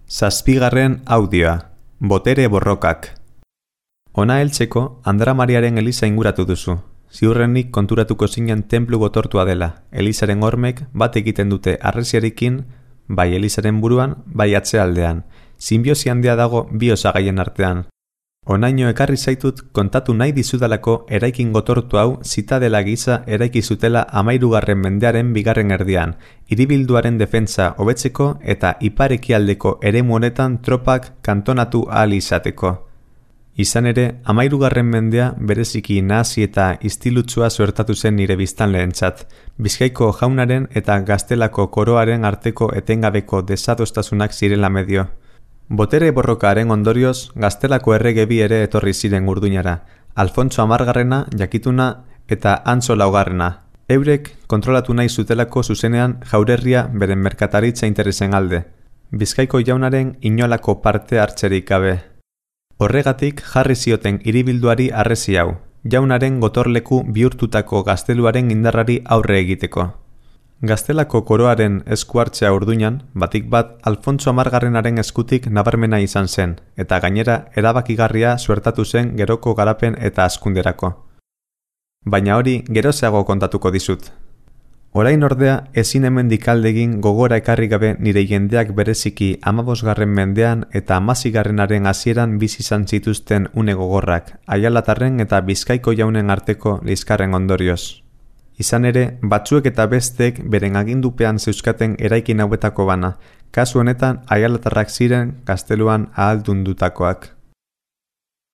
Zazpigarren audioa, botere borrokak. Hona heltzeko, Andra Mariaren eliza inguratu duzu. Ziurrenik konturatuko zinen tenplu gotortua dela. Elizaren hormek bat egiten dute arresiarekin, bai elizaren buruan, bai atzealdean. Sinbiosi handia dago bi osagaien artean. Honaino ekarri zaitut kontatu nahi dizudalako eraikin gotortu hau zitadela gisa eraiki zutela 13. mendearen bigarren erdian, hiribilduaren defentsa hobetzeko eta ipar-ekialdeko eremu honetan tropak kantonatu ahal izateko. Izan ere, 13. mendea bereziki nahasi eta istilutsua suertatu zen nire biztanleentzat, Bizkaiko jaunaren eta Gaztelako koroaren arteko etengabeko desadostasunak zirela medio. Botere borrokaaren ondorioz, Gaztelako errege bi ere etorri ziren Urduñara, Alfontso 10. jakituna eta Antso 4. Eurek kontrolatu nahi zutelako zuzenean Jaurerria beren merkataritza interesen alde, Bizkaiko jaunaren inolako parte hartzerik gabe. Horregatik jarri zioten hiribilduari harresi hau, jaunaren gotorleku bihurtutako gazteluaren indarrari aurre egiteko. Gaztelako koroaren esku hartzea Urduñan, batik bat Alfontso 10. eskutik nabarmena izan zen, eta gainera erabakigarria suertatu zen geroko garapen eta hazkunderako. Baina hori gerozeago kontatuko dizut. Orain ordea ezin hemendik aldegin gogora ekarri gabe nire jendeak bereziki 15. mendean eta 16. hasieran bizi izan zituzten une gogorrak, Aialatarren eta Bizkaiko jaunen arteko liskarren ondorioz. Izan ere, batzuek eta bestek beren agindupean zeuzkaten eraikin hauetako bana, kasu honetan Aialatarrak ziren gazteluan ahaldundutakoak.